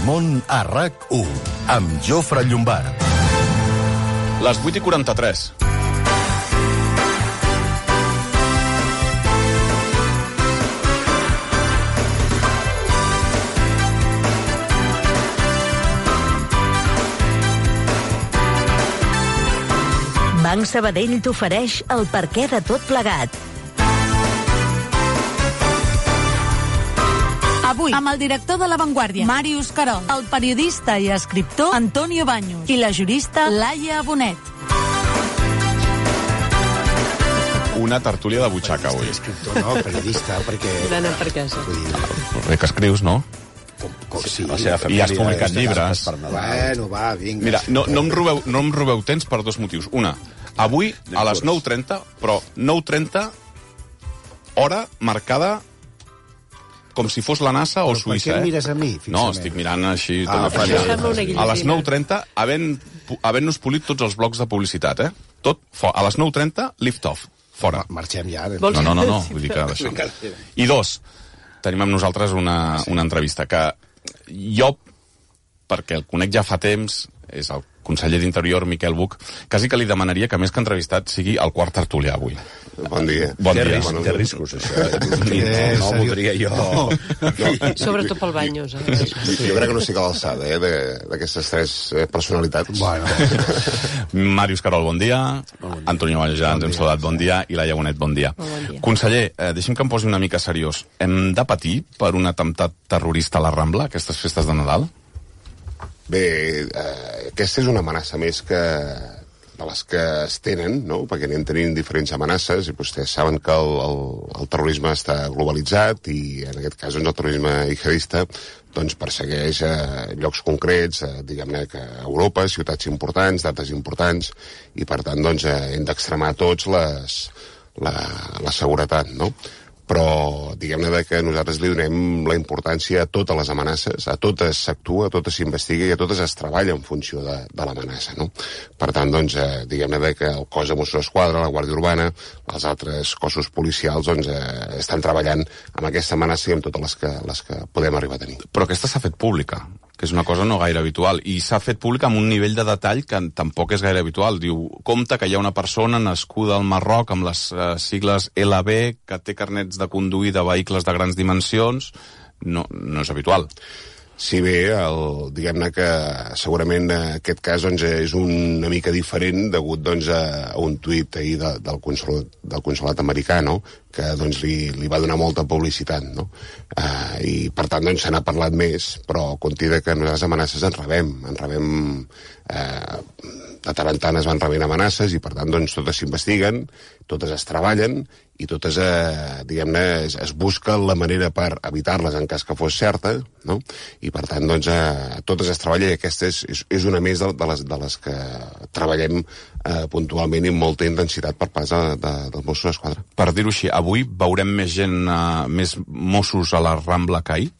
món a RAC1, amb Jofre Llombard. Les 8:43. Banc Sabadell t'ofereix el perquè de tot plegat. Avui, amb el director de La Vanguardia, Màrius Carol, el periodista i escriptor Antonio Baños i la jurista Laia Bonet. Una tertúlia de butxaca, avui. Escriptor, no, periodista, perquè... D'anar per casa. Bé que escrius, no? Sí, I has publicat llibres. Bueno, va, vinga. Mira, no em robeu temps per dos motius. Una, avui a les 9:30, però 9:30, hora marcada com si fos la NASA o Suïssa. Per què mires a mi, fixament? No, estic mirant així... Ah, a les 9:30, havent-nos polit tots els blocs de publicitat, Tot, a les 9:30, lift off, fora. Marxem ja. No, vull dir que d'això. I dos, tenim amb nosaltres una entrevista que jo, perquè el conec ja fa temps, és el conseller d'Interior, Miquel Buch, quasi que li demanaria que més que entrevistat sigui el quart tertulià avui. Bon dia. Bon dia. Té riscos, això. No ho voldria jo. Sobretot pel Baños. Jo crec que no estic a l'alçada d'aquestes tres personalitats. Bueno. Màrius Carol, bon dia. Antonio Baños, ja ens hem saludat, bon dia. I Laia Bonet, bon dia. Conseller, deixi'm que em posi una mica seriós. Hem de patir per un atemptat terrorista a la Rambla, aquestes festes de Nadal? Bé, aquesta és una amenaça més de les que es tenen, no? Perquè anem tenint diferents amenaces i vostès saben que el terrorisme està globalitzat i en aquest cas doncs, el terrorisme jihadista doncs, persegueix llocs concrets, diguem-ne que a Europa, ciutats importants, dates importants, i per tant doncs, hem d'extremar tots la seguretat, no? Però diguem-ne que nosaltres li donem la importància a totes les amenaces, a totes s'actua, a totes s'investiga i a totes es treballa en funció de l'amenaça, no? Per tant, doncs, diguem-ne que el cos de Mossos d'Esquadra, la Guàrdia Urbana, els altres cossos policials, doncs, estan treballant amb aquesta amenaça i amb totes les que podem arribar a tenir. Però aquesta s'ha fet pública, que és una cosa no gaire habitual, i s'ha fet pública amb un nivell de detall que tampoc és gaire habitual. Diu, compte que hi ha una persona nascuda al Marroc amb les sigles LB, que té carnets de conduir de vehicles de grans dimensions. No és habitual. Si bé, diguem-ne que segurament aquest cas doncs, és una mica diferent degut doncs, a un tuit ahir del consolat americà, no? Que doncs, li va donar molta publicitat, no? I per tant doncs, se n'ha parlat més, però compti que nosaltres amenaces en rebem de tant en tant es van rebent amenaces i per tant doncs, totes s'investiguen, totes es treballen i totes, diguem-ne, es busca la manera per evitar-les en cas que fos certa, no? I per tant, doncs, totes es treballa i aquesta és una més de les que treballem puntualment i amb molta intensitat per part dels Mossos d'Esquadra. Per dir-ho així, avui veurem més gent, més Mossos a la Rambla que ahir?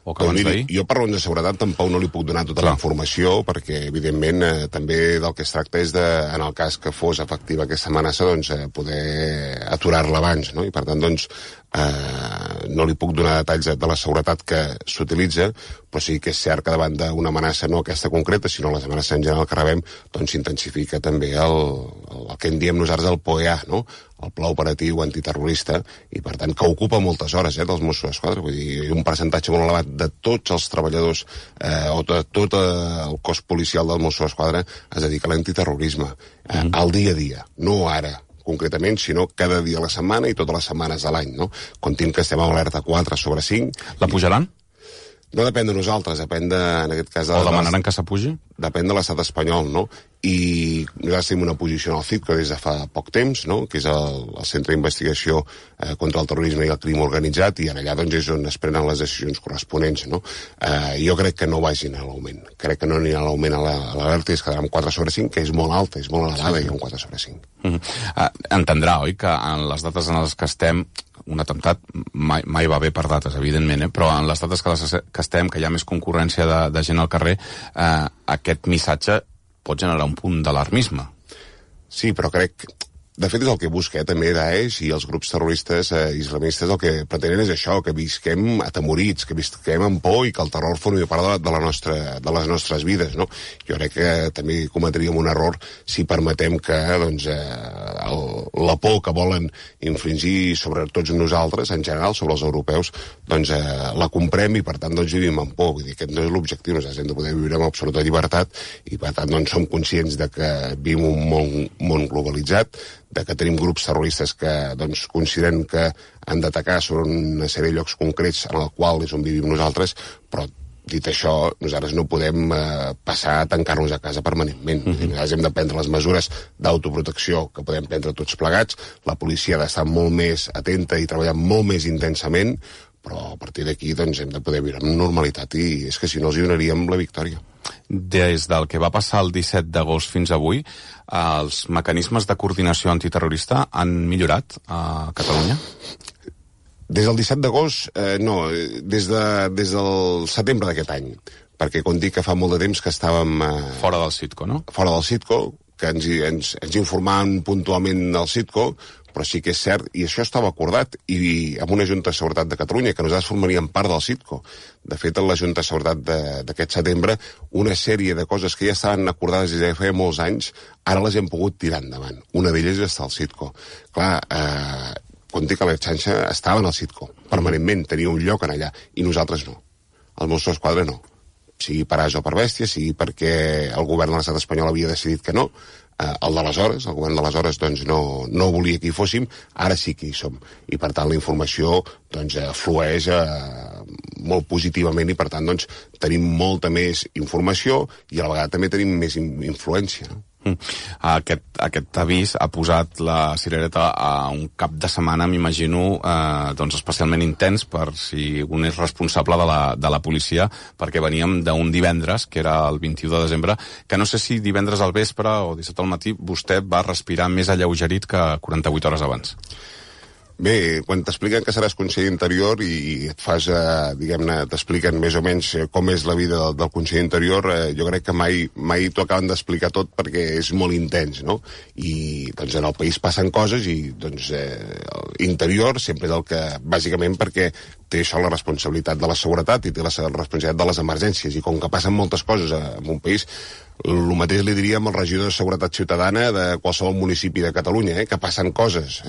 Jo per raons de seguretat tampoc no li puc donar tota la informació perquè evidentment també del que es tracta és en el cas que fos efectiva aquesta amenaça doncs poder aturar-la abans, no? I per tant doncs no li puc donar detalls de la seguretat que s'utilitza, però sí que és cert que davant d'una amenaça no aquesta concreta sinó les amenaces en general que rebem doncs s'intensifica també el que en diem nosaltres el POEA, no? El Pla Operatiu Antiterrorista, i per tant que ocupa moltes hores dels Mossos d'Esquadra, vull dir, un percentatge molt elevat de tots els treballadors o de tot el cos policial del Mossos d'Esquadra es dedica a l'antiterrorisme, al dia a dia, no ara concretament, sinó cada dia a la setmana i totes les setmanes de l'any, no? Comptin que estem a alerta 4/5. La pujaran? No depèn de nosaltres, depèn en aquest cas... O demanaran que s'apugi? Depèn de l'estat espanyol, no? I nosaltres tenim una posició en el CIP que des de fa poc temps, no? Que és el Centre d'Investigació contra el Terrorisme i el Crim Organitzat, i en allà doncs, és on es prenen les decisions corresponents, no? Jo crec que no vagin a l'augment. Crec que no anirà a l'augment a l'alerta i es quedarà amb 4/5, que és molt alta, és molt elevada, i un 4/5. Entendrà, oi, que en les dates en les que estem un atemptat mai va bé per dates, evidentment, però en les dates que estem, que hi ha més concurrència de gent al carrer, aquest missatge pot generar un punt d'alarmisme. Sí, però crec De fet, és el que busca, també Daesh i els grups terroristes islamistes el que pretenen és això, que visquem atemorits, que visquem amb por i que el terror formi part de les nostres vides, no? Jo crec que també cometríem un error si permetem que doncs, la por que volen infligir sobre tots nosaltres, en general, sobre els europeus, doncs la comprem i per tant doncs, vivim amb por. Vull dir, aquest no és l'objectiu, nosaltres hem de poder viure amb absoluta llibertat i per tant doncs, som conscients de que vivim un món globalitzat, de que tenim grups terroristes que doncs, consideren que han d'atacar sobre una sèrie de llocs concrets en el qual és on vivim nosaltres, però dit això, nosaltres no podem passar a tancar-nos a casa permanentment. Nosaltres hem de prendre les mesures d'autoprotecció que podem prendre tots plegats, la policia ha d'estar molt més atenta i treballar molt més intensament, però a partir d'aquí doncs, hem de poder viure amb normalitat i és que si no els donaríem la victòria. Des del que va passar el 17 d'agost fins avui, els mecanismes de coordinació antiterrorista han millorat a Catalunya? Des del 17 d'agost, no, des del setembre d'aquest any, perquè com dic que fa molt de temps que estàvem... Fora del Citco, no? Fora del Citco, que ens informaven puntualment del Citco, però sí que és cert, i això estava acordat, i amb una Junta de Seguretat de Catalunya, que nosaltres formaríem part del Citco. De fet, en la Junta de Seguretat d'aquest setembre, una sèrie de coses que ja estaven acordades des de feia molts anys, ara les hem pogut tirar endavant. Una d'elles és el Citco. Clar, quan dic que la xarxa estava en el Citco, permanentment, tenia un lloc en allà, i nosaltres no. Els Mossos d'Esquadra no. Sigui per ase o per bèstia, sigui perquè el govern de l'estat espanyol havia decidit que no, el d'aleshores, el govern d'aleshores doncs no volia que hi fóssim, ara sí que hi som i per tant la informació doncs flueix molt positivament i per tant doncs tenim molta més informació i a la vegada també tenim més influència, no? Aquest avís ha posat la cirereta a un cap de setmana, m'imagino, doncs especialment intens per si un és responsable de la policia, perquè veníem d'un divendres, que era el 21 de desembre, que no sé si divendres al vespre o 17 al matí vostè va respirar més alleugerit que 48 hores abans. Bé, quan t'expliquen que seràs conseller d'interior i et fas, diguem-ne, t'expliquen més o menys com és la vida del conseller d'interior, jo crec que mai t'ho acaben d'explicar tot perquè és molt intens, no? I doncs en el país passen coses i doncs interior sempre és el que, bàsicament perquè té això la responsabilitat de la seguretat i té la responsabilitat de les emergències i com que passen moltes coses en un país, el mateix li diríem al regidor de Seguretat Ciutadana de qualsevol municipi de Catalunya, que passen coses.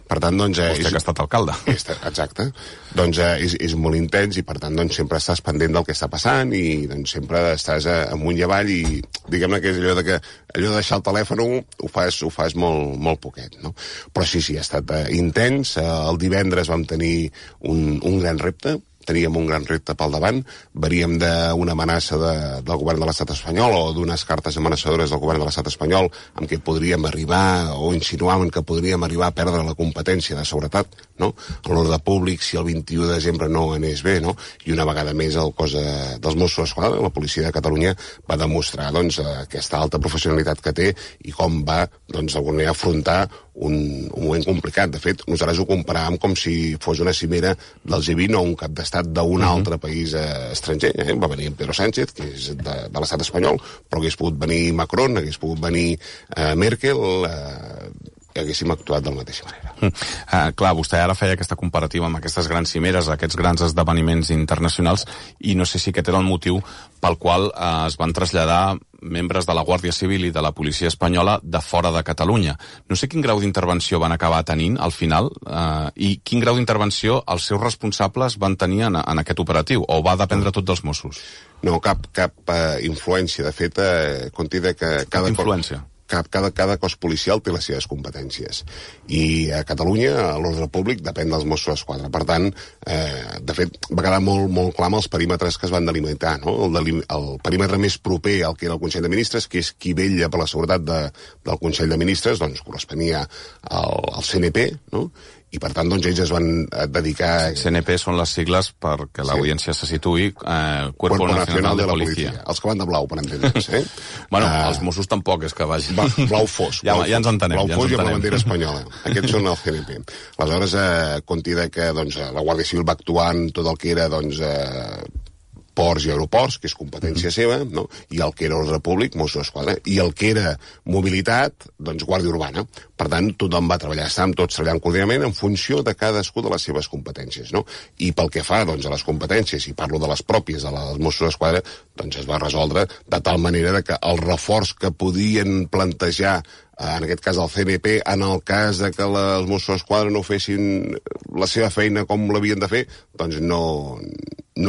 Per tant, doncs... Vostè que ha estat alcalde. Exacte. Doncs és molt intens i, per tant, doncs, sempre estàs pendent del que està passant i doncs, sempre estàs amunt i avall i diguem-ne que és allò de deixar el telèfon ho fas molt poquet, no? Però sí, ha estat intens. El divendres vam tenir un gran repte. Teníem un gran repte pel davant, veníem d'una amenaça del govern de l'estat espanyol o d'unes cartes amenaçadores del govern de l'estat espanyol amb què podríem arribar o insinuaven que podríem arribar a perdre la competència de seguretat, no? En l'ordre públic si el 21 de desembre no anés bé, no? I una vegada més el cos dels Mossos d'Esquadra, la policia de Catalunya, va demostrar doncs, aquesta alta professionalitat que té i com va doncs, d'alguna manera afrontar un moment complicat. De fet, nosaltres ho comparàvem com si fos una cimera del G20 o un cap d'estat d'un altre país estranger. Va venir Pedro Sánchez, que és de l'estat espanyol, però hagués pogut venir Macron, hagués pogut venir Merkel, haguéssim actuat de la mateixa manera. Clar, vostè ara feia aquesta comparativa amb aquestes grans cimeres, aquests grans esdeveniments internacionals, i no sé si aquest era el motiu pel qual es van traslladar membres de la Guàrdia Civil i de la policia espanyola de fora de Catalunya. No sé quin grau d'intervenció van acabar tenint al final i quin grau d'intervenció els seus responsables van tenir en aquest operatiu, o va dependre tot dels Mossos? No, cap influència. De fet, conti que cada influència. Cada cos policial té les seves competències i a Catalunya l'ordre públic depèn dels Mossos d'Esquadra. Per tant, de fet, va quedar molt clar amb els perímetres que es van delimitar, no? El perímetre més proper al que era el Consell de Ministres, que és qui vetlla per la seguretat del Consell de Ministres, doncs corresponia al CNP, no? I per tant, doncs, ells es van dedicar... CNP són les sigles perquè l'audiència se situï Cuerpo Nacional de la Policia. Els que van de blau, per entendre's, Bueno, els Mossos tampoc és que vagin... Blau fosc. Ja ens entenem. Blau fosc i amb la bandera espanyola. Aquests són el CNP. Aleshores, conti que doncs, la Guàrdia Civil va actuar en tot el que era doncs, ports i aeroports, que és competència seva, no? I el que era ordre públic, Mossos d'Esquadra, i el que era mobilitat, doncs Guàrdia Urbana. Per tant, tothom va treballar, estàvem tots treballant coordinament en funció de cadascú de les seves competències, no? I pel que fa, doncs, a les competències, i parlo de les pròpies dels Mossos d'Esquadra, doncs es va resoldre de tal manera que el reforç que podien plantejar en aquest cas el CNP, en el cas de que els Mossos d'Esquadra no fessin la seva feina com l'havien de fer, doncs no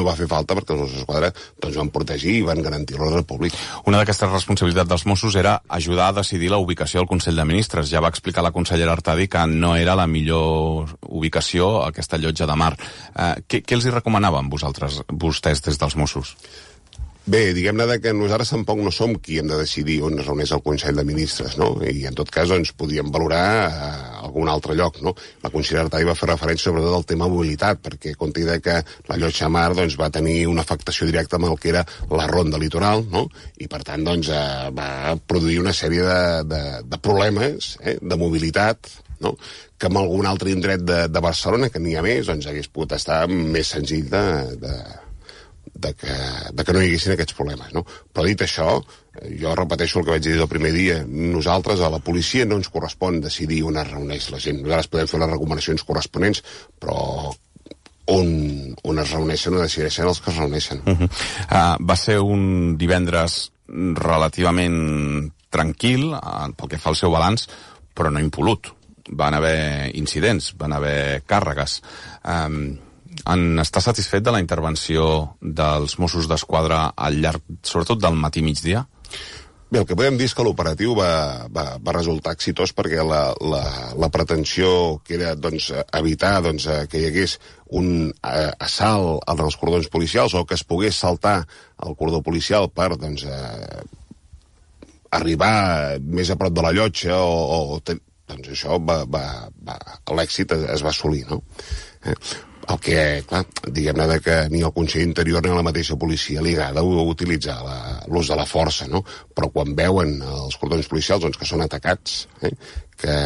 va fer falta, perquè els Mossos d'Esquadra doncs, van protegir i van garantir l'ordre públic. Una d'aquestes responsabilitats dels Mossos era ajudar a decidir la ubicació del Consell de Ministres. Ja va explicar la consellera Artadi que no era la millor ubicació aquesta llotja de mar. Què els hi recomanaven vostès des dels Mossos? Bé, diguem-ne que nosaltres tampoc no som qui hem de decidir on es reuneix el Consell de Ministres, no? I en tot cas, doncs, podíem valorar algun altre lloc, no? La consellera Artadi va fer referència sobretot al tema mobilitat, perquè compte que la llotja mar doncs, va tenir una afectació directa amb el que era la ronda litoral, no? I per tant, doncs, va produir una sèrie de problemes de mobilitat, no? Que en algun altre indret de Barcelona, que n'hi ha més, doncs hagués pogut estar més senzill de que no hi haguessin aquests problemes, no? Però dit això, jo repeteixo el que vaig dir del primer dia, nosaltres, a la policia, no ens correspon decidir on es reuneix la gent. Nosaltres podem fer les recomanacions corresponents, però on es reuneixen o decideixen els que es reuneixen. Va ser un divendres relativament tranquil, pel que fa al seu balanç, però no impolut. Van haver incidents, van haver càrregues. En està satisfet de la intervenció dels Mossos d'Esquadra al llarg, sobretot del matí-migdia? Bé, el que podem dir és que l'operatiu va resultar exitós perquè la pretensió que era doncs, evitar doncs, que hi hagués un assalt als cordons policials o que es pogués saltar el cordó policial per doncs, arribar més a prop de la llotja doncs això l'èxit es va assolir, no? El que, clar, diguem-ne que ni al Consell Interior ni a la mateixa policia li agrada utilitzar l'ús de la força, no? Però quan veuen els cordons policials doncs, que són atacats, que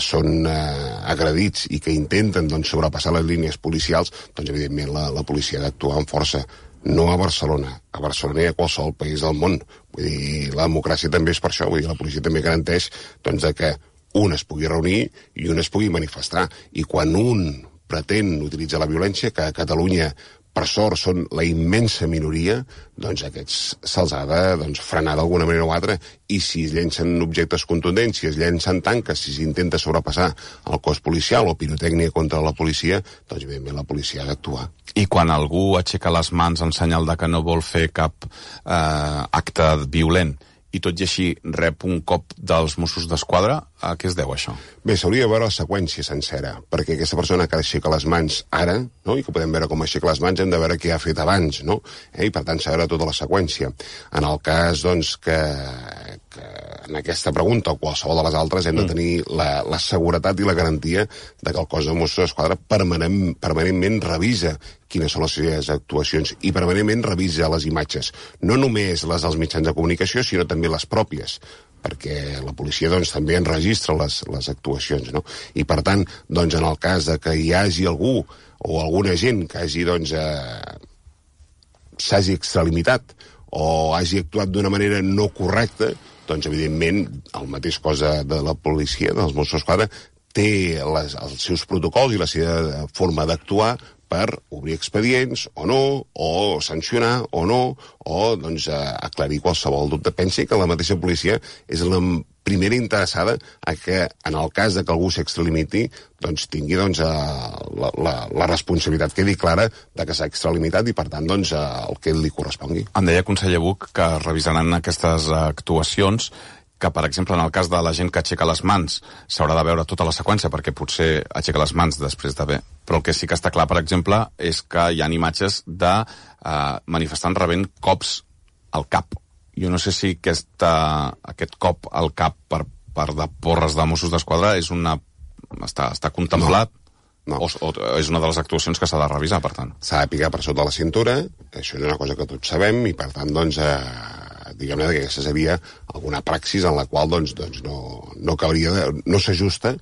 són agredits i que intenten doncs, sobrepassar les línies policials, doncs evidentment la policia ha d'actuar amb força. No a Barcelona i a qualsevol país del món. Vull dir, la democràcia també és per això, vull dir, la policia també garanteix doncs, que un es pugui reunir i un es pugui manifestar. I quan un pretén utilitzar la violència, que a Catalunya, per sort, són la immensa minoria, doncs aquests se'ls ha de frenar d'alguna manera o altra, i si es llencen objectes contundents, si es llencen tanques, si s'intenta sobrepassar el cos policial o pirotècnia contra la policia, doncs evidentment la policia ha d'actuar. I quan algú aixeca les mans en senyal de que no vol fer cap acte violent, i tot i així rep un cop dels Mossos d'Esquadra, a què es deu això? Bé, s'hauria de veure la seqüència sencera, perquè aquesta persona que aixeca les mans ara, no? I que podem veure com aixeca les mans, hem de veure què ha fet abans, no? I per tant s'ha de veure tota la seqüència. En el cas, doncs, que en aquesta pregunta o qualsevol de les altres hem de tenir la seguretat i la garantia de que el cos de Mossos d'Esquadra permanentment revisa quines són les seves actuacions i permanentment revisa les imatges. No només les dels mitjans de comunicació, sinó també les pròpies, perquè la policia doncs, també enregistra les actuacions, no? I per tant, doncs, en el cas de que hi hagi algú o alguna gent que hagi, doncs, s'hagi extralimitat o hagi actuat d'una manera no correcta, doncs, evidentment, el mateix cos de la policia, dels Mossos d'Esquadra, té els seus protocols i la seva forma d'actuar per obrir expedients o no, o sancionar o no, o doncs, aclarir qualsevol dubte. Pensi que la mateixa policia és la primera interessada a que, en el cas de que algú s'extralimiti, doncs tingui doncs, la responsabilitat quedi clara de que s'ha extralimitat i, per tant, doncs, el que li correspongui. Em deia, conseller Buch, que revisaran aquestes actuacions, que, per exemple, en el cas de la gent que aixeca les mans, s'haurà de veure tota la seqüència, perquè potser aixeca les mans després d'haver... Però el que sí que està clar, per exemple, és que hi ha imatges de manifestants rebent cops al cap. Jo no sé si aquest cop al cap per part de porres de Mossos d'Esquadra està contemplat. No. O és una de les actuacions que s'ha de revisar, per tant. S'ha de picar per sota la cintura, això és una cosa que tots sabem, i per tant, doncs, diguem-ne que aquesta seria alguna praxis en la qual doncs no cauria, no s'ajusta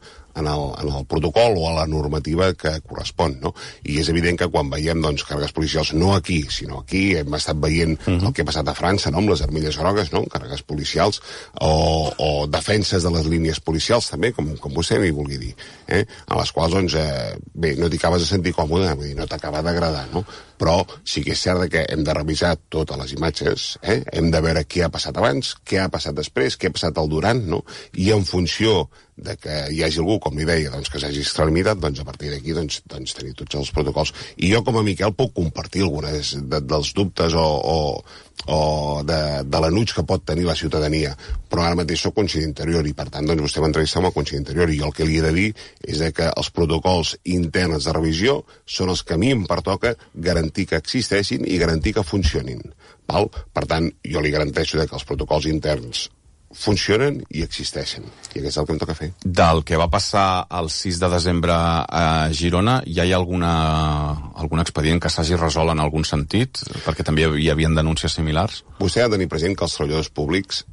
el protocol o a la normativa que correspon, no? I és evident que quan veiem, doncs, càrregues policials, no aquí, sinó aquí, hem estat veient el que ha passat a França, no?, amb les armilles grogues, no?, càrregues policials, o defenses de les línies policials, també, com vostè m'hi vulgui dir, a les quals, doncs, bé, no t'hi acabes de sentir còmode, vull dir, no t'acaba d'agradar, no? Però sí que és cert que hem de revisar totes les imatges, hem de veure què ha passat abans, què ha passat després, què ha passat al durant, no? I en funció de que hi hagi algú, com li deia, doncs, que s'hagi extralimitat, doncs a partir d'aquí doncs, tenir tots els protocols. I jo, com a Miquel, puc compartir algunes dels dubtes o de l'enuig que pot tenir la ciutadania, però ara mateix soc conseller d'Interior i, per tant, doncs, vostè m'entrevista amb el conseller d'Interior i el que li he de dir és que els protocols interns de revisió són els que a mi em pertoca garantir que existeixin i garantir que funcionin. Val? Per tant, jo li garanteixo que els protocols interns funcionen i existeixen. I aquest és el que em toca fer. Del que va passar el 6 de desembre a Girona, ja hi ha algun expedient que s'hagi resolt en algun sentit? Perquè també hi havia denúncies similars? Vostè ha de tenir present que els treballadors públics,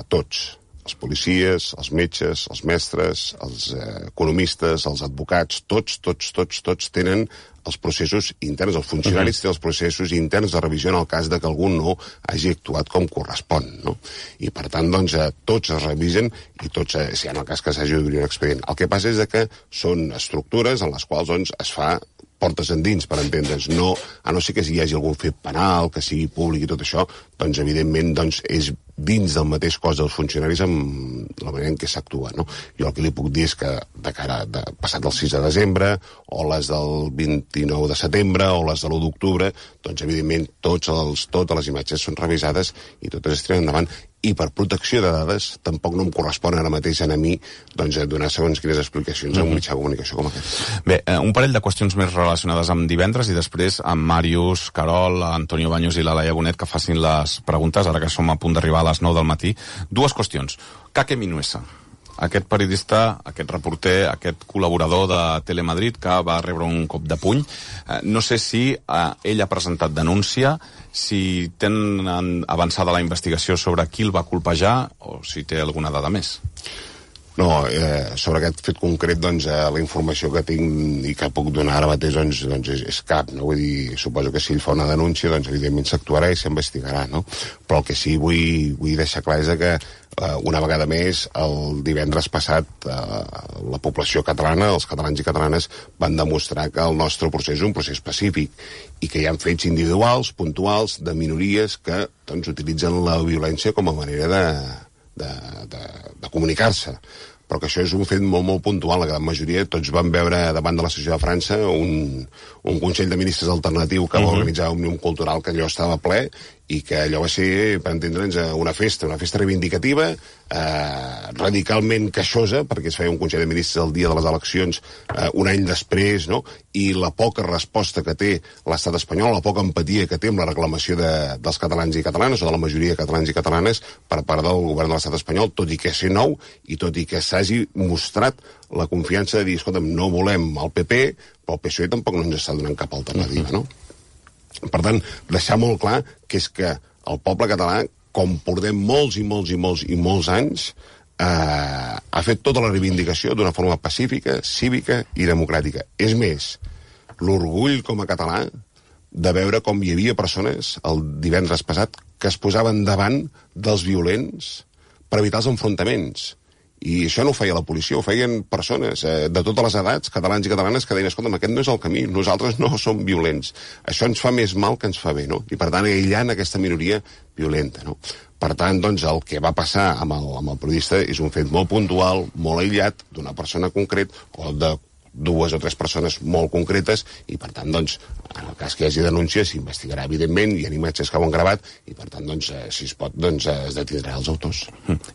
tots, els policies, els metges, els mestres, els economistes, els advocats, tots tenen els processos interns, els funcionaris tenen els processos interns de revisió en el cas de que algú no hagi actuat com correspon, no? I per tant, doncs, tots es revisen i tots, si en el cas que s'hagi d'obrir un expedient. El que passa és que són estructures en les quals, doncs, es fa portes endins, per entendre's, no, a no ser que hi hagi algun fet penal, que sigui públic i tot això, doncs, evidentment, doncs, és dins del mateix cos dels funcionaris amb la manera en què s'actua, no? Jo el que li puc dir és que de cara passat el 6 de desembre, o les del 29 de setembre, o les de l'1 d'octubre, doncs, evidentment, totes les imatges són revisades i totes es tiren endavant. I per protecció de dades tampoc no em correspon ara mateix a mi doncs, donar segons quines explicacions a un mitjà de comunicació com aquest. Bé, un parell de qüestions més relacionades amb divendres i després amb Màrius, Carol, Antonio Baños i la Laia Bonet que facin les preguntes, ara que som a punt d'arribar a les 9 del matí. Dues qüestions. Kake Minuesa, aquest periodista, aquest reporter, aquest col·laborador de Telemadrid que va rebre un cop de puny. No sé si ell ha presentat denúncia, si tenen avançada la investigació sobre qui el va colpejar o si té alguna dada més. No, sobre aquest fet concret, doncs, la informació que tinc i que puc donar ara mateix, doncs és cap, no? Vull dir, suposo que si ell fa una denúncia, doncs, evidentment s'actuarà i s'investigarà, no? Però el que sí vull deixar clar és que una vegada més, el divendres passat, la població catalana, els catalans i catalanes, van demostrar que el nostre procés és un procés pacífic i que hi ha fets individuals, puntuals, de minories que, doncs, utilitzen la violència com a manera de comunicar-se. Però que això és un fet molt, molt puntual. La gran majoria, tots van veure davant de la sessió de França un Consell de Ministres alternatiu que va organitzar Òmnium Cultural, que allò estava ple i que allò va ser, per entendre'ns, una festa reivindicativa, radicalment queixosa, perquè es feia un Consell de Ministres el dia de les eleccions, un any després, no? I la poca resposta que té l'estat espanyol, la poca empatia que té amb la reclamació dels catalans i catalanes, o de la majoria de catalans i catalanes, per part del govern de l'estat espanyol, tot i que és nou, i tot i que s'hagi mostrat la confiança de dir, escolta'm, no volem el PP, però el PSOE tampoc no ens està donant cap alternativa, no? Per tant, deixar molt clar que és que el poble català, com portem molts anys, ha fet tota la reivindicació d'una forma pacífica, cívica i democràtica. És més, l'orgull com a català de veure com hi havia persones el divendres passat que es posaven davant dels violents per evitar els enfrontaments. I això no ho feia la policia, ho feien persones de totes les edats, catalans i catalanes, que deien, escolta'm, aquest no és el camí, nosaltres no som violents. Això ens fa més mal que ens fa bé, no? I per tant, aïllant aquesta minoria violenta, no? Per tant, doncs, el que va passar amb el periodista és un fet molt puntual, molt aïllat, d'una persona concret, o de dues o tres persones molt concretes, i per tant, doncs, en el cas que hi hagi denúncia, s'investigarà, evidentment, hi ha imatges que ho han gravat, i per tant, doncs, si es pot, doncs, es detindrà els autors.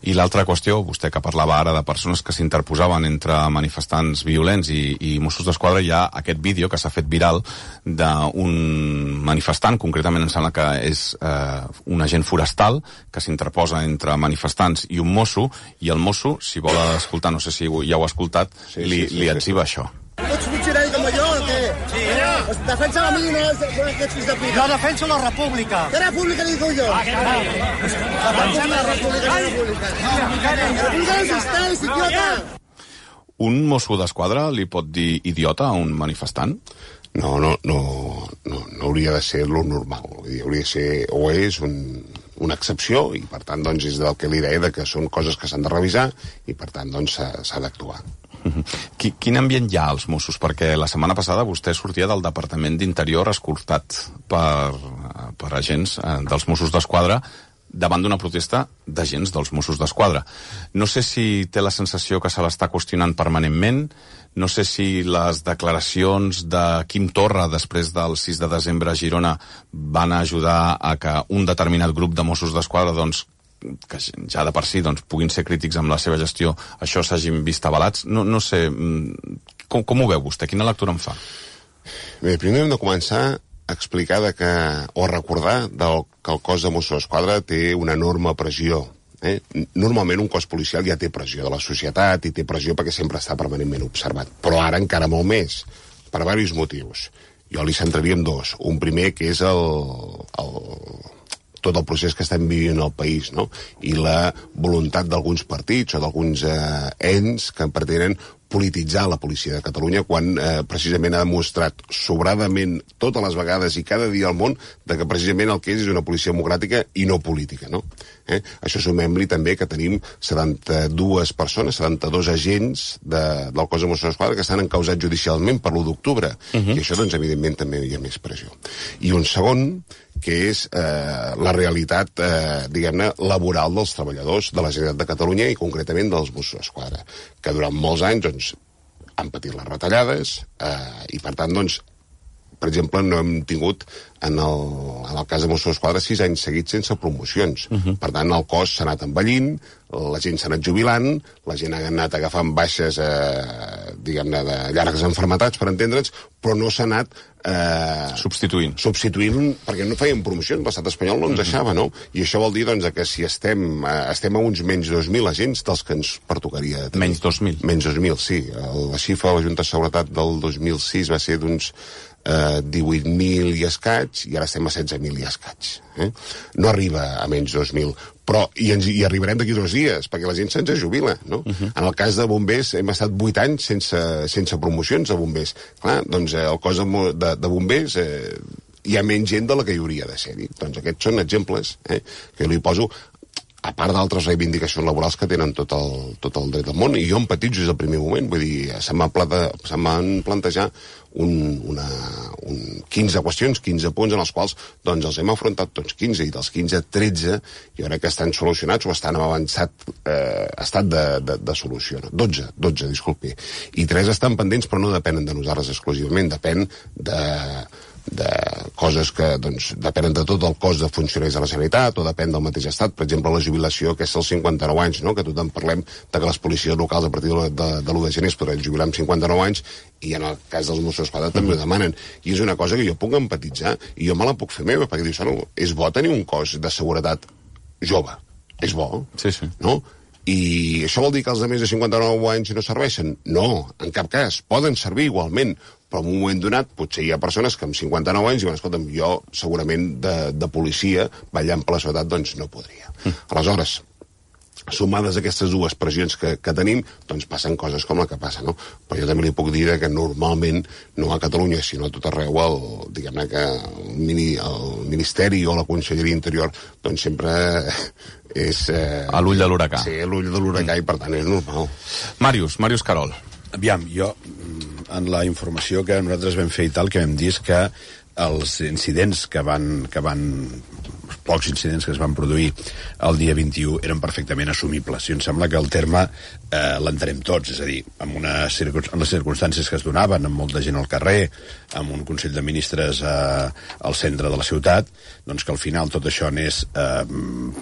I l'altra qüestió, vostè que parlava ara de persones que s'interposaven entre manifestants violents i Mossos d'Esquadra, hi ha aquest vídeo que s'ha fet viral d'un manifestant, concretament em sembla que és un agent forestal, que s'interposa entre manifestants i un mosso, i el mosso, si vol escoltar, no sé si ja ho ha escoltat, li etziba això. Ets funcionari com jo, o què? Sí, ja. Defensa la mina, aquests fills de puta. Jo defenso la república. ¿Qué república digo yo? Defensa la república, la república. La república no existeix, idiota. Un mosso d'esquadra li pot dir idiota a un manifestant? No hauria de ser lo normal. Hauria de ser, o és una excepció, i per tant doncs, és del que li deia, que són coses que s'han de revisar i per tant doncs, s'ha d'actuar. Quin ambient hi ha als Mossos? Perquè la setmana passada vostè sortia del Departament d'Interior escortat per agents dels Mossos d'Esquadra davant d'una protesta d'agents dels Mossos d'Esquadra. No sé si té la sensació que se l'està qüestionant permanentment, no sé si les declaracions de Quim Torra després del 6 de desembre a Girona van ajudar a que un determinat grup de Mossos d'Esquadra, doncs, que ja de per si doncs, puguin ser crítics amb la seva gestió, això s'hagin vist avalats. No sé, com ho veu vostè? Quina lectura en fa? Bé, primer hem de començar a explicar o recordar que el cos de Mossos d'Esquadra té una enorme pressió. Normalment un cos policial ja té pressió de la societat i té pressió perquè sempre està permanentment observat, però ara encara molt més, per diversos motius. Jo li centraria en dos. Un primer, que és tot el procés que estem vivint al país, no? I la voluntat d'alguns partits o d'alguns ens que pretenen polititzar la policia de Catalunya quan precisament ha demostrat sobradament totes les vegades i cada dia al món de que precisament el que és una policia democràtica i no política, no? Això sumem-li també que tenim 72 persones, 72 agents del cos de Mossos d'Esquadra que estan encausats judicialment per l'1 d'octubre. I això, doncs, evidentment, també hi ha més pressió. I un segon, que és la realitat, diguem-ne, laboral dels treballadors de la Generalitat de Catalunya i concretament dels Mossos d'Esquadra, que durant molts anys doncs, han patit les retallades i, per tant, doncs, per exemple, no hem tingut, en el cas de Mossos d'Esquadra, 6 anys seguits sense promocions. Per tant, el cos s'ha anat envellint, la gent s'ha anat jubilant, la gent ha anat agafant baixes, diguem-ne, de llargues enfermetats, per entendre'ns, però no s'ha anat substituint, perquè no feien promocions, l'estat espanyol no ens deixava, no? I això vol dir, doncs, que si estem a uns menys 2.000 agents dels que ens pertocaria tenir. Menys 2.000? Menys 2.000, sí. La xifra de la Junta de Seguretat del 2006 va ser d'uns 18.000 i escaig, i ara estem a 16.000 i escaig. No arriba a menys 2.000, però hi arribarem d'aquí 2 dies, perquè la gent se'ns jubila, no? En el cas de bombers hem estat 8 anys sense promocions de bombers. Clar, doncs el cos de bombers hi ha menys gent de la que hi hauria de ser-hi. Doncs aquests són exemples que jo li poso, a part d'altres reivindicacions laborals que tenen tot el dret del món, i jo em petitjo des del primer moment, vull dir, se m'han plantejat 15 qüestions, 15 punts en els quals doncs els hem afrontat tots 15, i dels 15, 13 jo crec que estan solucionats o estan en avançat estat de solució. 12, disculpi. I 3 estan pendents, però no depenen de nosaltres exclusivament, depèn de coses que doncs, depenen de tot el cos de funcionaris de la Generalitat o depèn del mateix estat. Per exemple, la jubilació, que és als 59 anys, no? Que tothom parlem de que les policies locals a partir de l'1 de gener es podran jubilar amb 59 anys, i en el cas dels Mossos d'Esquadra també ho demanen. I és una cosa que jo puc empatitzar i jo me la puc fer meva, perquè dius, no, és bo tenir un cos de seguretat jove. És bo, sí. No? I això vol dir que els de més de 59 anys no serveixen? No, en cap cas. Poden servir igualment, però en un moment donat potser hi ha persones que amb 59 anys diuen, escolta'm, jo segurament de policia ballant per la seguretat doncs no podria. Aleshores, sumades aquestes dues pressions que tenim, doncs passen coses com la que passa, no? Però jo també li puc dir que normalment, no a Catalunya, sinó a tot arreu, diguem-ne que el Ministeri o la Conselleria Interior, doncs sempre és... a l'ull de l'huracà. Sí, a l'ull de l'huracà, i per tant és normal. Màrius Carol. Aviam, jo, en la informació que nosaltres vam fer i tal, que vam dir que els incidents que van pocs incidents que es van produir el dia 21 eren perfectament assumibles. I em sembla que el terme l'entenem tots, és a dir, amb les circumstàncies que es donaven, amb molta gent al carrer, amb un Consell de Ministres al centre de la ciutat, doncs que al final tot això anés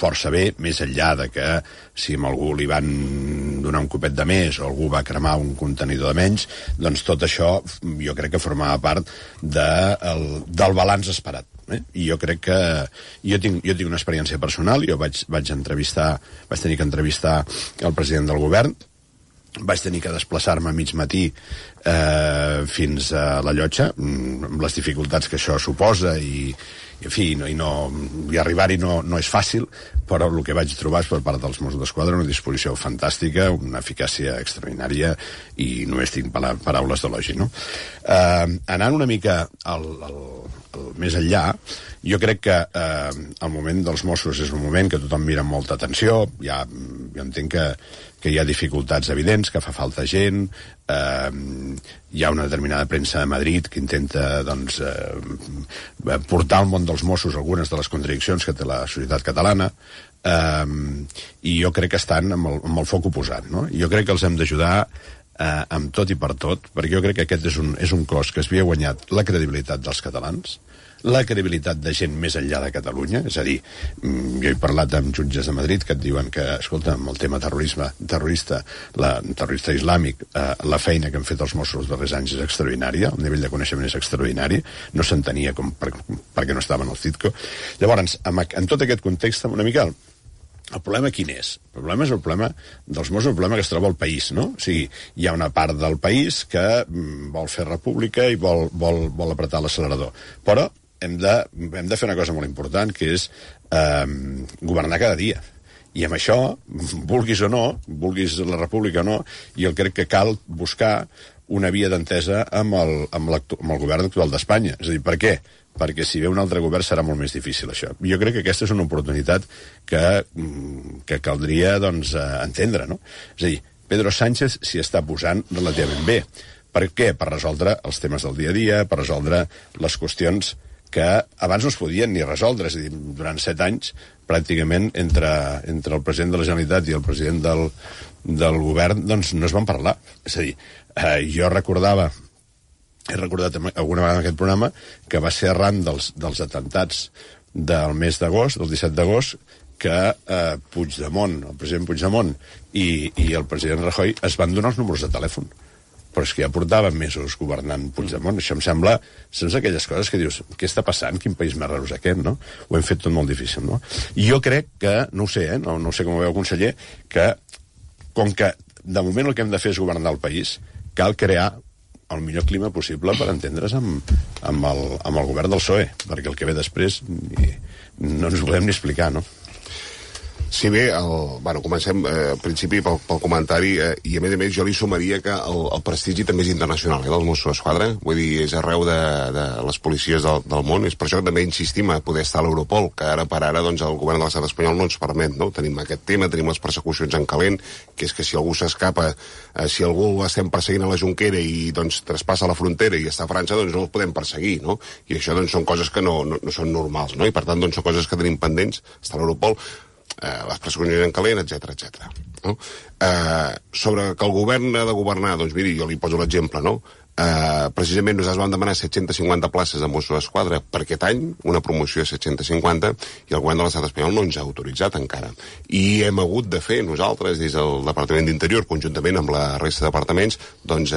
força bé, més enllà de que si a algú li van donar un copet de més o algú va cremar un contenidor de menys, doncs tot això jo crec que formava part del balanç esperat. I jo crec que jo tinc una experiència personal. Jo vaig tenir que entrevistar el president del govern, vaig tenir que desplaçar-me a mig matí fins a la Llotja, amb les dificultats que això suposa, i en fi, i arribar-hi no és fàcil, però el que vaig trobar és per part dels Mossos d'Esquadra una disposició fantàstica, una eficàcia extraordinària, i només tinc paraules d'elogi, no? Anant una mica més enllà, jo crec que el moment dels Mossos és un moment que tothom mira amb molta atenció, jo entenc que hi ha dificultats evidents, que fa falta gent, hi ha una determinada premsa de Madrid que intenta doncs, portar al món dels Mossos algunes de les contradiccions que té la societat catalana, i jo crec que estan amb el foc oposat, no? Jo crec que els hem d'ajudar amb tot i per tot, perquè jo crec que aquest és un cos que es havia guanyat la credibilitat dels catalans, la credibilitat de gent més enllà de Catalunya, és a dir, jo he parlat amb jutges de Madrid que et diuen que, escolta, amb el tema terrorista islàmic, la feina que han fet els Mossos els darrers anys és extraordinària, el nivell de coneixement és extraordinari, no s'entenia perquè no estaven al CITCO. Llavors, en tot aquest context, una mica el problema quin és? El problema és el problema dels Mossos, el problema que es troba al país, no? O sigui, hi ha una part del país que vol fer república i vol apretar l'accelerador. Però hem de fer una cosa molt important, que és governar cada dia. I amb això, vulguis o no, vulguis la república o no, jo crec que cal buscar una via d'entesa amb el govern actual d'Espanya. És a dir, per què? Perquè si ve un altre govern serà molt més difícil, això. Jo crec que aquesta és una oportunitat que caldria, doncs, entendre, no? És a dir, Pedro Sánchez s'hi està posant relativament bé. Per què? Per resoldre els temes del dia a dia, per resoldre les qüestions que abans no es podien ni resoldre. És a dir, durant 7 anys, pràcticament, entre el president de la Generalitat i el president del govern, doncs no es van parlar. És a dir, jo he recordat alguna vegada en aquest programa que va ser arran dels atentats del mes d'agost, del 17 d'agost, que Puigdemont, el president Puigdemont i el president Rajoy es van donar els números de telèfon. Però és que ja portaven mesos governant Puigdemont. Això em sembla... Són aquelles coses que dius, què està passant? Quin país més raro és aquest, no? Ho hem fet tot molt difícil, no? I jo crec que, no ho sé, no sé com ho veu, conseller, que com que de moment el que hem de fer és governar el país, cal crear el millor clima possible per entendre's amb el govern del PSOE, perquè el que ve després no ens ho podem ni explicar, no? Si bé, comencem al principi pel comentari, i a més jo li sumaria que el prestigi també és internacional, del Mossos d'Esquadra, vull dir, és arreu de les policies del món, és per això que també insistim a poder estar a l'Europol, que ara per ara doncs, el govern de l'estat espanyol no ens permet, no? Tenim aquest tema, tenim les persecucions en calent, que és que si algú s'escapa, si algú estem perseguint a la Jonquera i doncs traspassa la frontera i està a França, doncs no el podem perseguir, no? I això doncs són coses que no són normals, no? I per tant doncs són coses que tenim pendents, està a l'Europol, les persecucions en calent, etc. No? Sobre que el govern ha de governar, doncs miri, jo li poso l'exemple, no? Precisament nosaltres vam demanar 750 places de Mossos d'Esquadra per aquest any, una promoció de 750, i el govern de l'estat espanyol no ens ha autoritzat encara. I hem hagut de fer nosaltres, des del Departament d'Interior, conjuntament amb la resta de departaments, doncs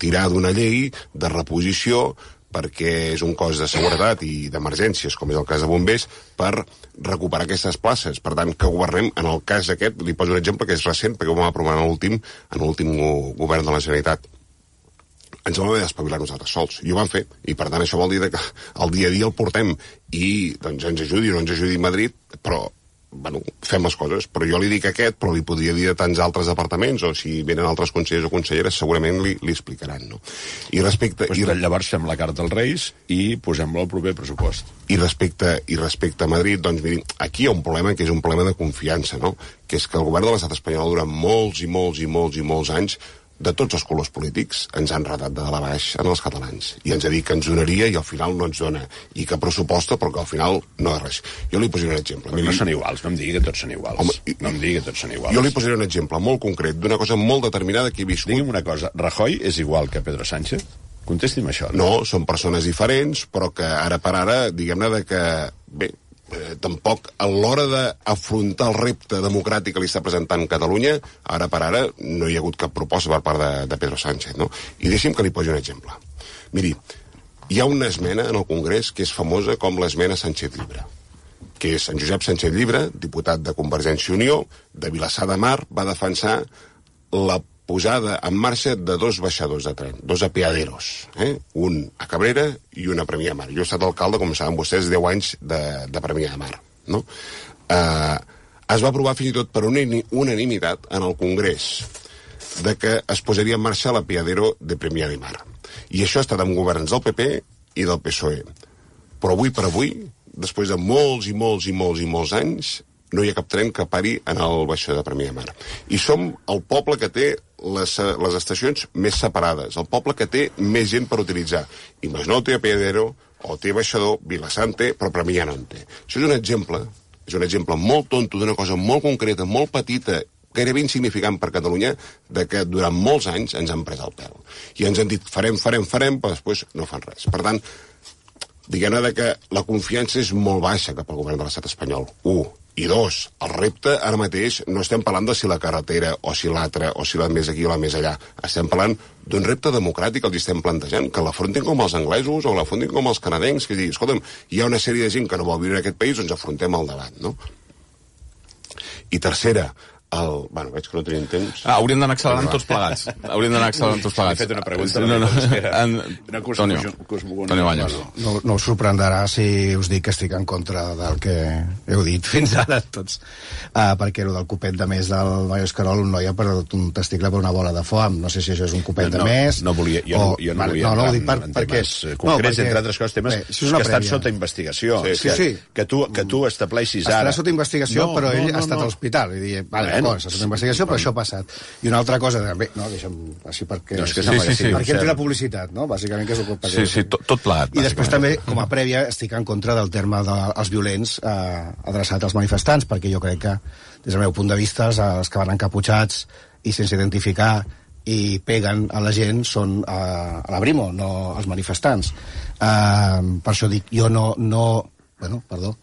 tirar d'una llei de reposició perquè és un cos de seguretat i d'emergències, com és el cas de bombers, per recuperar aquestes places. Per tant, que governem, en el cas aquest, li poso un exemple que és recent, perquè ho vam aprovar en l'últim govern de la Generalitat. Ens vam haver d'espavilar nosaltres sols, i ho vam fer, i per tant això vol dir que el dia a dia el portem, i doncs ens ajudi o no ens ajudi Madrid, però fem les coses, però jo li dic aquest, però li podria dir de tants altres departaments, o si venen altres consellers o conselleres, segurament li explicaran, no? I respecte... Llavors fem la carta als Reis i posem-la al proper pressupost. I respecte a Madrid, doncs miri, aquí hi ha un problema que és un problema de confiança, no? Que és que el govern de l'estat espanyol durant molts anys de tots els colors polítics ens han ratat de dalt a baix en els catalans, i ens ha dit que ens donaria i al final no ens dona, i que pressuposta però que al final no és res. Jo li posaré un exemple. Però no són iguals, no em digui que tots són iguals. Home, no em digui que tots són iguals. Jo li posaré un exemple molt concret d'una cosa molt determinada que he viscut. Digui'm una cosa, Rajoy és igual que Pedro Sánchez? Contesti'm això. No, són persones diferents, però que ara per ara, diguem-ne de que, bé, tampoc a l'hora d'afrontar el repte democràtic que li està presentant Catalunya, ara per ara no hi ha hagut cap proposta per part de Pedro Sánchez, no? I deixi'm que li posi un exemple. Miri, hi ha una esmena en el Congrés que és famosa com l'esmena Sánchez Llibre, que és en Josep Sánchez Llibre, diputat de Convergència i Unió, de Vilassar de Mar, va defensar la posada en marxa de 2 baixadors de tren, 2 apeaderos, un a Cabrera i un a Premià de Mar. Jo he estat alcalde, com saben vostès, 10 anys de Premià de Mar, no? Es va aprovar fins i tot per unanimitat en el Congrés de que es posaria en marxa l'apeadero de Premià de Mar. I això ha estat amb governs del PP i del PSOE. Però avui per avui, després de molts i molts i molts i molts anys, no hi ha cap tren que pari en el baixador de Premià de Mar. I som el poble que té les estacions més separades, el poble que té més gent per utilitzar. I Masnou té apeadero, o té baixador, Vilassant té, però Premià no en té. Això és un exemple molt tonto d'una cosa molt concreta, molt petita, gairebé insignificant per Catalunya, de que durant molts anys ens han pres el pèl. I ens han dit farem, però després no fan res. Per tant, diguem-ne que la confiança és molt baixa cap al govern de l'estat espanyol. 1. I 2, el repte ara mateix no estem parlant de si la carretera o si l'altra o si la més aquí o la més allà. Estem parlant d'un repte democràtic que els estem plantejant, que l'afrontin com els anglesos o l'afrontin com els canadencs, que diguin, escolta'm, hi ha una sèrie de gent que no vol viure en aquest país, doncs afrontem el debat, no? I tercera, bueno, veig que no tenim temps. Hauríem d'anar accelerant tots plegats. He fet una pregunta. Toni Baños. No us sorprendrà si us dic que estic en contra del que heu dit fins ara tots. Perquè el del copet de més del Baños Querol, un noi ha perdut un testicle per una bola de foam. No sé si això és un copet de més. Jo no volia entrar en temes concrets, entre altres coses, temes que estan sota investigació. Que tu estableixis ara... Estarà sota investigació, però ell ha estat a l'hospital. I dic, vale, és una investigació, però això ha passat. I una altra cosa, també, no, deixa'm així perquè entri la publicitat, no? Bàsicament, que és el que... Sí, tot plegat. I després també, com a prèvia, estic en contra del terme dels violents adreçat als manifestants, perquè jo crec que, des del meu punt de vista, els que van encaputxats i sense identificar i peguen a la gent són a la Brimo, no als manifestants. Per això dic, jo no... Bueno, perdó...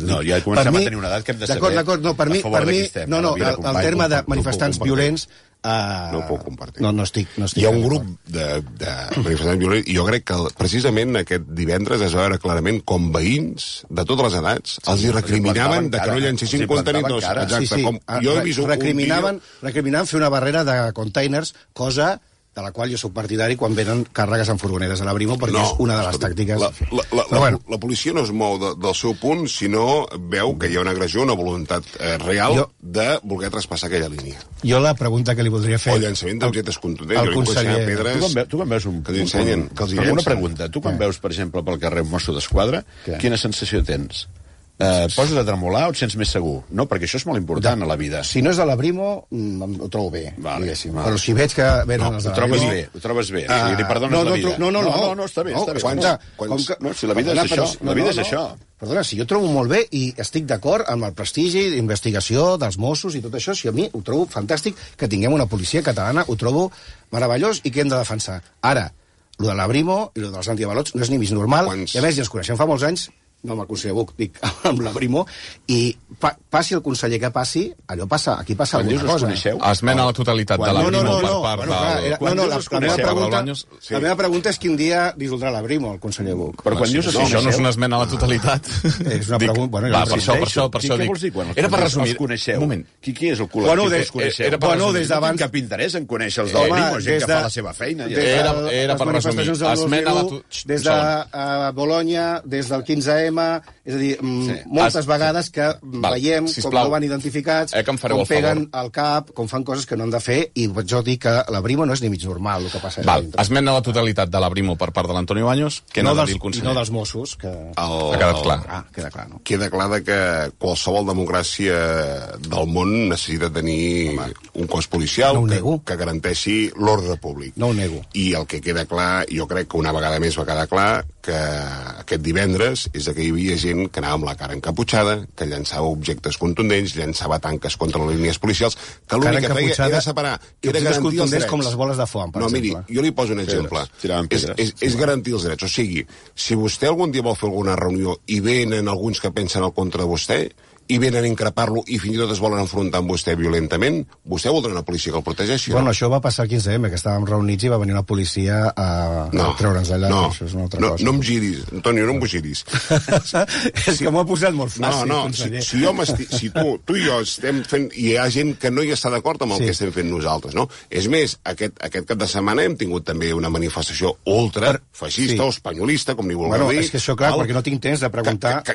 No, ja comencem a tenir una edat que hem de saber d'acord, no, per mi el terme de manifestants violents no ho puc compartir. No estic hi ha un grup de manifestants violents i jo crec que precisament aquest divendres es va veure clarament com veïns de totes les edats els hi recriminaven de que no llancessin contenidors. Exacte, recriminaven fer una barrera de containers, cosa de la qual jo soc partidari quan venen càrregues en furgonetes a la Brimo, perquè és una de les tàctiques... La policia no es mou del seu punt, sinó veu que hi ha una agressió, una voluntat real de voler traspassar aquella línia. Jo la pregunta que li voldria fer... O llançament d'objectes contundents. El conseller... Tu quan veus una pregunta. Tu quan veus, per exemple, pel carrer un mosso d'esquadra, quina sensació tens? Poses a tremolar o et sents més segur? No, perquè això és molt important a la vida. Si no és de la Brimo, ho trobo bé, diguéssim. Però si veig que venen els de la Brimo... Ho trobes bé. Li perdones la vida. No, està bé. Si la vida és això, la vida és això. Perdona, si jo trobo molt bé i estic d'acord amb el prestigi d'investigació dels Mossos i tot això, si a mi ho trobo fantàstic que tinguem una policia catalana, ho trobo meravellós i que hem de defensar. Ara, lo de la Brimo i lo dels antiavalots no és ni mig normal, i a més ja ens coneixem fa molts anys, no amb el conseller Buch, dic amb la Brimo, i passi el conseller que passi, allò passa, aquí passa alguna cosa. Esmena a la totalitat de la Brimo per part del... La meva pregunta és quin dia dissoldrà la Brimo, el conseller Buch. Però quan dius això no és una esmena a la totalitat. És una pregunta... Per això dic... Era per resumir... Un moment. Qui és el col·lectiu que els coneixeu? Bueno, des d'abans... No tinc cap interès en conèixer els de la Brimo, gent que fa la seva feina. Era per resumir. Des de Bologna, des del 15M, és a dir, moltes vegades que veiem com no van identificats, com peguen al cap, com fan coses que no han de fer, i jo dic que la Brimo no és ni mig normal el que passa. Esmena la totalitat de la Brimo per part de l'Antoni Baños, que no del conseller. I no dels Mossos, que... Ha quedat clar. Queda clar, no? Queda clar que qualsevol democràcia del món necessita tenir un cos policial que garanteixi l'ordre públic. No ho nego. I el que queda clar, jo crec que una vegada més va quedar clar, que aquest divendres és que hi havia gent que anava amb la cara encaputxada, que llançava objectes contundents, llançava tanques contra les línies policials, que l'únic que feia era separar, era garantir els drets. Com les boles de foam, per exemple. Miri, jo li poso un exemple. És garantir els drets. O sigui, si vostè algun dia vol fer alguna reunió i venen alguns que pensen al contra de vostè, i venen a increpar-lo i fins i tot es volen enfrontar amb vostè violentament, vostè voldrà una policia que el protegeixi? Bueno, això va passar el 15M, que estàvem reunits i va venir una policia a treure'ns allà. Això és una altra cosa. No em giris, Antonio, no em giris. És que m'ho ha posat molt fàcil, conseller. Si tu i jo estem fent... I hi ha gent que no hi està d'acord amb el que estem fent nosaltres, no? És més, aquest cap de setmana hem tingut també una manifestació ultra-feixista o espanyolista, com ni vulgueu dir. És que això, clar, perquè no tinc temps de preguntar...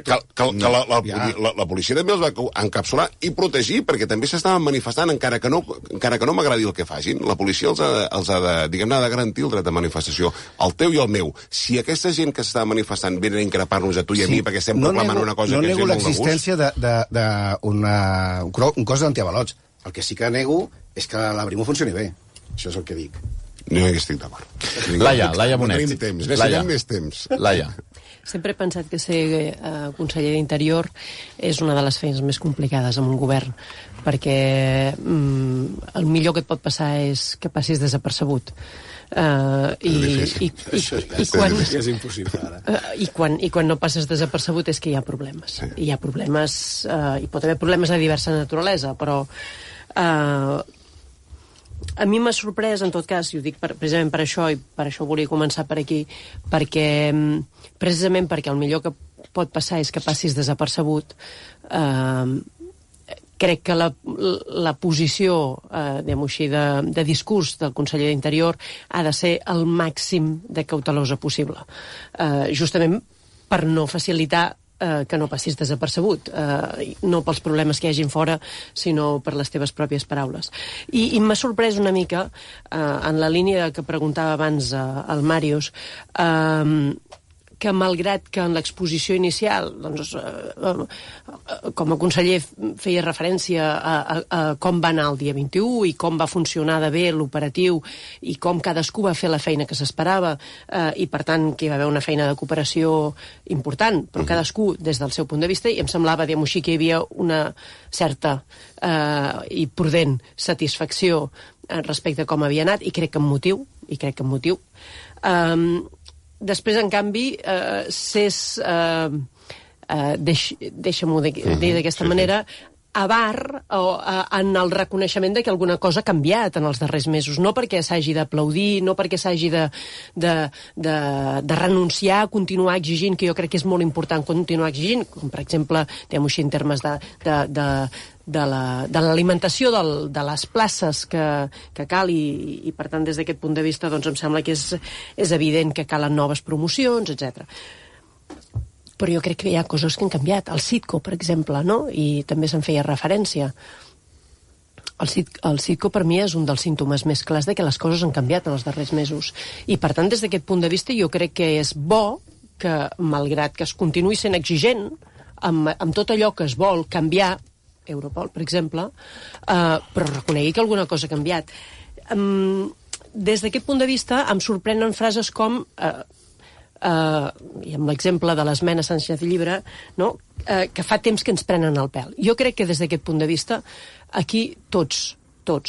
La policia també els va encapsular i protegir, perquè també s'estaven manifestant, encara que no m'agradi el que facin. La policia els ha de, diguem-ne, de garantir el dret de manifestació, el teu i el meu. Si aquesta gent que s'està manifestant venen a increpar-nos a tu i a mi perquè estem proclamant una cosa que ens ve molt de gust... No nego l'existència d'un cos d'antiavalots. El que sí que nego és que la Brimo funcioni bé. Això és el que dic. No hi estic d'acord. Laia Bonet. Necessitem més temps. Laia. Sempre he pensat que ser conseller d'Interior és una de les feines més complicades en un govern, perquè el millor que et pot passar és que passis desapercebut. És impossible ara. I quan no passes desapercebut és que hi ha problemes. Sí. Hi ha problemes, hi pot haver problemes de diversa naturalesa, però a mi m'ha sorprès, en tot cas, i ho dic precisament per això, i per això volia començar per aquí, precisament perquè el millor que pot passar és que passis desapercebut, crec que la posició, diguem-ho així, de discurs del conseller d'Interior ha de ser el màxim de cautelosa possible. Justament per no facilitar que no passis desapercebut, no pels problemes que hi hagin fora, sinó per les teves pròpies paraules. I m'ha sorprès una mica, en la línia que preguntava abans el Màrius, que malgrat que en l'exposició inicial, doncs, com a conseller feia referència a com va anar el dia 21 i com va funcionar de bé l'operatiu i com cadascú va fer la feina que s'esperava, i per tant que hi va haver una feina de cooperació important, però cadascú des del seu punt de vista, i em semblava, diguem-ho així, que hi havia una certa i prudent satisfacció respecte a com havia anat, i crec que amb motiu. Després, en canvi, deixa-m'ho dir d'aquesta manera, avar en el reconeixement de que alguna cosa ha canviat en els darrers mesos, no perquè s'hagi d'aplaudir, no perquè s'hagi de renunciar a continuar exigint, que jo crec que és molt important continuar exigint, com per exemple, diguem-ho així, en termes de l'alimentació de les places que cal, i per tant des d'aquest punt de vista doncs em sembla que és evident que calen noves promocions, etc. Però jo crec que hi ha coses que han canviat. El Citco, per exemple, no? I també se'n feia referència. El Citco per mi és un dels símptomes més clars de que les coses han canviat en els darrers mesos. I per tant, des d'aquest punt de vista, jo crec que és bo que, malgrat que es continuï sent exigent amb tot allò que es vol canviar, Europol, per exemple, però reconegui que alguna cosa ha canviat. Des d'aquest punt de vista em sorprenen frases com, i amb l'exemple de l'esmena Sánchez Llibre, no? Que fa temps que ens prenen el pèl. Jo crec que des d'aquest punt de vista aquí tots,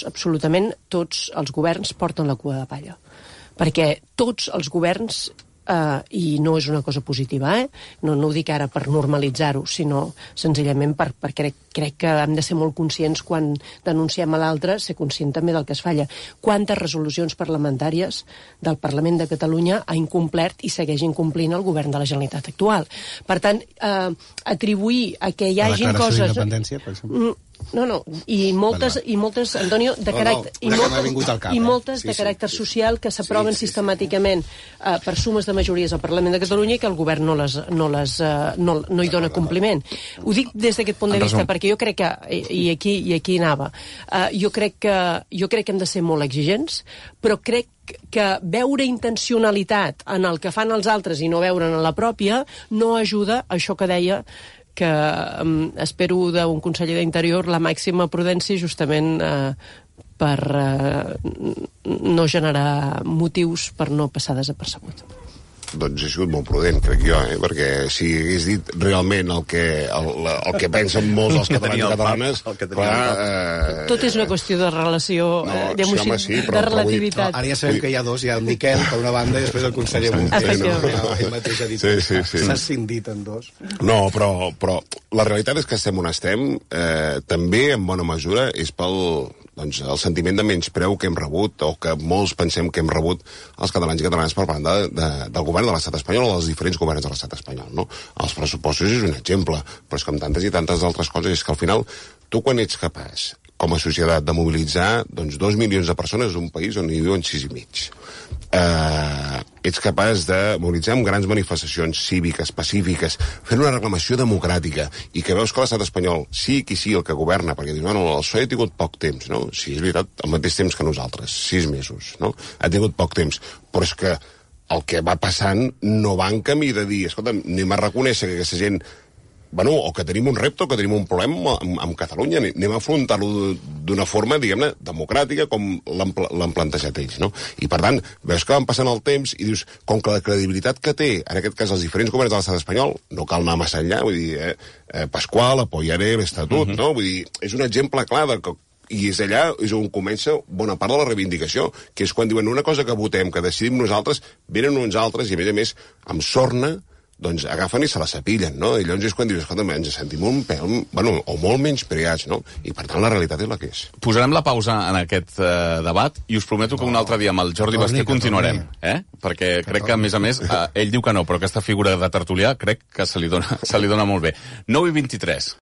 absolutament tots els governs porten la cua de palla. Perquè tots els governs, i no és una cosa positiva, no ho dic ara per normalitzar-ho, sinó senzillament perquè crec que hem de ser molt conscients quan denunciem a l'altre, ser conscient també del que es falla. Quantes resolucions parlamentàries del Parlament de Catalunya ha incomplert i segueix incomplint el govern de la Generalitat actual? Per tant, atribuir a que hi hagin coses... La declaració d'independència, per exemple? No, i moltes, Antonio, de caràcter, i moltes de caràcter social que s'aproven sistemàticament per sumes de majories al Parlament de Catalunya i que el govern no hi dona compliment. Ho dic des d'aquest punt de vista perquè jo crec que, i aquí anava, jo crec que hem de ser molt exigents, però crec que veure intencionalitat en el que fan els altres i no veure'n en la pròpia no ajuda a això que deia, que espero d'un conseller d'Interior la màxima prudència justament per no generar motius per no passar desapercebut. doncs he sigut molt prudent, crec jo, perquè si hagués dit realment el que pensen molts dels catalans i catalanes, clar... Tot és una qüestió de relació, de relativitat. Ara ja sabem que hi ha dos, hi ha el Miquel, per una banda, i després el conseller Munté, ell mateix ha dit s'ha scindit en dos. No, però la realitat és que estem on estem, també, en bona mesura, és pel el sentiment de menyspreu que hem rebut, o que molts pensem que hem rebut els catalans i catalanes per part del govern de l'estat espanyol o dels diferents governs de l'estat espanyol, no? Els pressupostos és un exemple, però és com tantes i tantes altres coses, és que al final, tu quan ets capaç, com a societat, de mobilitzar 2 milions de persones d'un país on hi viuen 6 i mig, ets capaç de mobilitzar amb grans manifestacions cíviques, pacífiques, fent una reclamació democràtica, i que veus que l'estat espanyol, sí qui sí el que governa, perquè dius, bueno, el PSOE ha tingut poc temps, no? Sí, és veritat, al mateix temps que nosaltres, 6 mesos, no? Ha tingut poc temps, però és que el que va passant no va en camí de dir, escolta, anem a reconèixer que aquesta gent, bueno, o que tenim un repte o que tenim un problema amb Catalunya, anem a afrontar-lo d'una forma, diguem-ne, democràtica, com l'han plantejat ells, no? I, per tant, veus que van passant el temps i dius, com que la credibilitat que té, en aquest cas, els diferents governs de l'estat espanyol, no cal anar massa enllà, vull dir, Pasqual, apoyaré l'Estatut, no? Vull dir, és un exemple clar de que i és allà és on comença bona part de la reivindicació, que és quan diuen una cosa que votem, que decidim nosaltres, venen uns altres i, a més, amb sorna, doncs agafen i se la sapillen, no? I llavors és quan dius, escolta, ens sentim un pèl, bueno, o molt menys preats, no? I per tant la realitat és la que és. Posarem la pausa en aquest debat i us prometo que un altre dia amb el Jordi Basté continuarem, perquè crec que, a més, ell diu que no, però aquesta figura de tertulià crec que se li dona molt bé. 9:23.